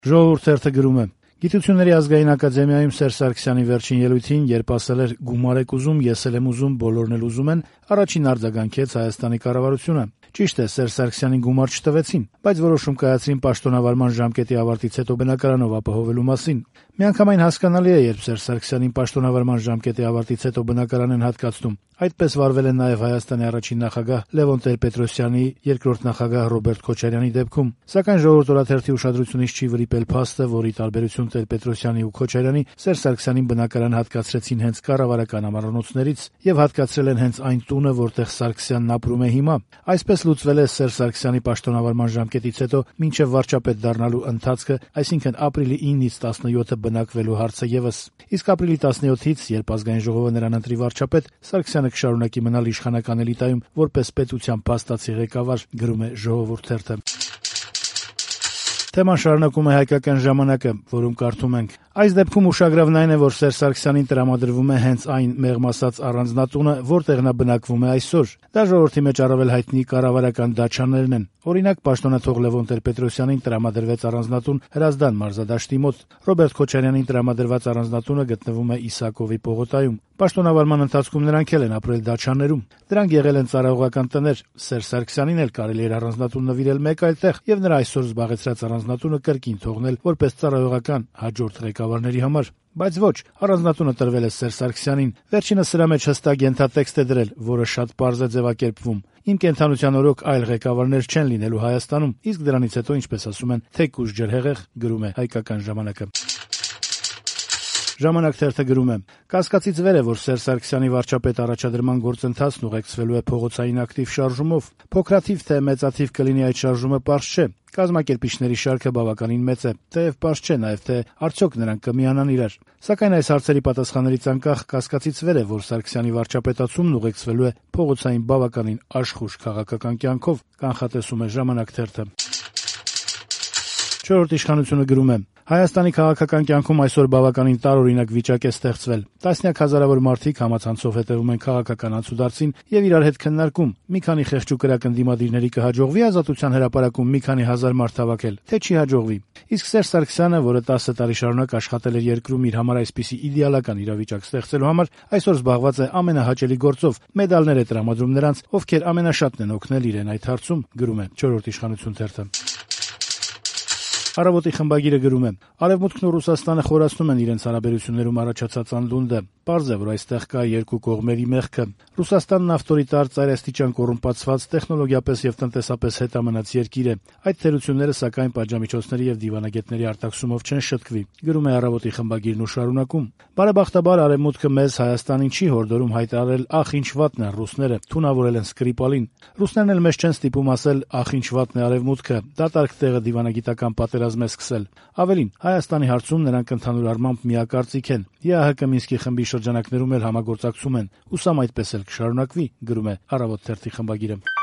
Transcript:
Ժողովուրդ թերթը գրում է. Գիտությունների ազգային ակադեմիայում Սերժ Սարգսյանի վերջին ելույթին, երբ ասել էր «գումար եք ուզում, ես էլ եմ ուզում, բոլորն էլ ուզում են», առաջին արձագանքեց Հայաստանի կառավարությունը։ Ճիշտ է, Սերժ Սարգսյանին գումար չտվեցին, բայց որոշում կայացրին պաշտոնավարման ժամկետի ավարտից հետո բնակարանով ապահովելու մասին։ Միանգամայն հասկանալի է, երբ Սերժ Սարգսյանին պաշտոնավարման ժամկետի ավարտից հետո բնակարան են հատկացնում։ Այդպես վարվել են նաև Հայաստանի առաջին նախագահ Լևոն Տեր-Պետրոսյանի, երկրորդ նախագահ Ռոբերտ Քոչարյանի դեպքում։ Սակայն Ժողովուրդ օրաթերթի ուշադրությունից չի վրիպել փաստը, որ ի տարբերություն Տեր-Պետրոսյանի ու Քոչարյանի, Սերժ Սարգսյանին բնակարան հատկացրեցին հենց կառավարական ամառանոցներից եւ հատկացրել են հենց այն տունը, որտեղ Սարգսյանն ապրում է հիմա։ Այսպես լուծվել է Սերժ Սարգսյանի պաշտոնավարման ժամկետից հետո մինչև վարչապետ դառնալու ընթացքը, այսինքն ապրիլի 9-ից 17-ը բնակվելու հարցը եւս։ Իսկ ապրիլի 17-ից, երբ ազգային ժողովը նրան ընտրի վարչապետ, Սարգսյանը կշարունակի մնալ իշխանական էլիտայում որպես պետության փաստացի ղեկավար, գրում է Ժողովուրդ թերթը։ Թեման շարունակում է Հայկական ժամանակը, որում կարդում ենք. Այս դեպքում ուշագրավն այն է, որ Սերժ Սարգսյանին տրամադրվում է հենց այն մեղմ ասած առանձնատունը, որտեղ նա բնակվում է այսօր։ Դա ժողովրդի մեջ առավել հայտնի կառավարական դաչաներն են։ Օրինակ, պաշտոնաթող Լևոն Տեր-Պետրոսյանին տրամադրվեց առանձնատուն Հրազդան մարզադաշտի մոտ։ Ռոբերտ Քոչարյանին տրամադրված առանձնատունը գտնվում է Իսակովի պողոտայում։ Պաշտոնավարման ընթացքում նրանք էլ են ապրել դաչաներում։ Դրանք եղել են ծառայողական տներ։ Սերժ Սարգսյանին էլ կարելի էր առանձնատուն նվիրել մեկ այլ տեղ եւ նրա այսօր զբաղեցրած առանձնատունը կրկին թողնել որպես ծառայողական հաջորդ ղեկավարների համար։ Բայց ոչ, առանձնատունը տրվել է Սերժ Սարգսյանին։ Վերջինս սրա մեջ հստակ ենթատեքստ է դրել, որը շատ պարզ է ձևակերպվում։ Իմ կենդանության օրոք այլ ղեկավարներ չեն լինելու Հայաստանում, իսկ դրանից հետո, ինչպես ասում են, թեկուզ ջրհեղեղ, գրում է Հայկական ժամանակը։ Ժամանակ թերթը գրում է. Կասկածից վեր է, որ Սերժ Սարգսյանի վարչապետ առաջադրման գործընթացն ուղեկցվելու է փողոցային ակտիվ շարժումով։ Փոքրաթիվ թե մեծաթիվ կլինի այդ շարժումը, պարզ չէ։ Կազմակերպիչների շարքը բավականին մեծ է, թեև պարզ չէ նաև, թե արդյոք նրանք կմիանան իրար։ Սակայն այս հարցերի պատասխաններից անկախ կասկածից վեր է, որ Սարգսյանի վարչապետացումն ուղեկցվելու է փողոցային բավականին աշխույժ քաղաքական կյանքով, կանխատեսում է Ժամանակ թերթը։ Չորրորդ իշխանությունը գրում է. Հայաստանի քաղաքական կյանքում այսօր բավականին տարօրինակ վիճակ է ստեղծվել։ Տասնյակ հազարավոր մարդիկ համացանցով հետևում են քաղաքական անցուդարձին եւ իրար հետ քննարկում՝ մի քանի խեղճ ու կրակ ընդդիմադիրների կհաջողվի Ազատության հրապարակում մի քանի հազար մարդ հավաքել, թե չի հաջողվի։ Իսկ Սերժ Սարգսյանը, որը 10 տարի շարունակ աշխատել էր երկրում իր համար այսպիսի իդեալական իրավիճակ ստեղծելու համար, այսօր զբաղված է ամենահաճելի գործով՝ մեդալներ է տրամադրում նրանց, ովքեր ամենաշատն են օգնել իրեն այդ հարցում, գրում է Չորրորդ իշխանություն թերթը։ Առավոտի խմբագիրը գրում է. Արևմուտքն ու Ռուսաստանը խորացնում են իրենց հարաբերություններում առաջացած անդունդը։ Պարզ է, որ այստեղ կա երկու կողմերի մեղքը։ Ռուսաստանն ավտորիտար, ծայրաստիճան կոռումպացված, տեխնոլոգիապես եւ տնտեսապես հետամնաց երկիր է։ Այդ թերությունները, սակայն, պատժամիջոցների եւ դիվանագետների արտաքսումով չեն շտկվի, գրում է Առավոտի խմբագիրն ու շարունակում. Բարեբախտաբար Արևմուտքը մեզ Հայաստանին չի հորդորում հայտարարել ախ ինչ վատն են ռուսները, թունավորել են Սկրիպալին։ Ռուսներն էլ մեզ չեն ստիպում ասել ախ ինչ վատն է Արևմուտքը, դատարկ տեղը դիվանագիտական պատերազմ է սկսել։ Ավելին, Հայաստանի հարցում նրանք ընդհանուր առմամբ միակարծիք են։ ԵԱՀԿ Մինսկի խմբի շրջանակներում էլ համագործակցում են։ Հուսամ այդպես էլ կշարունակվի, գրում է Առավոտ թերթի խմբագիրը։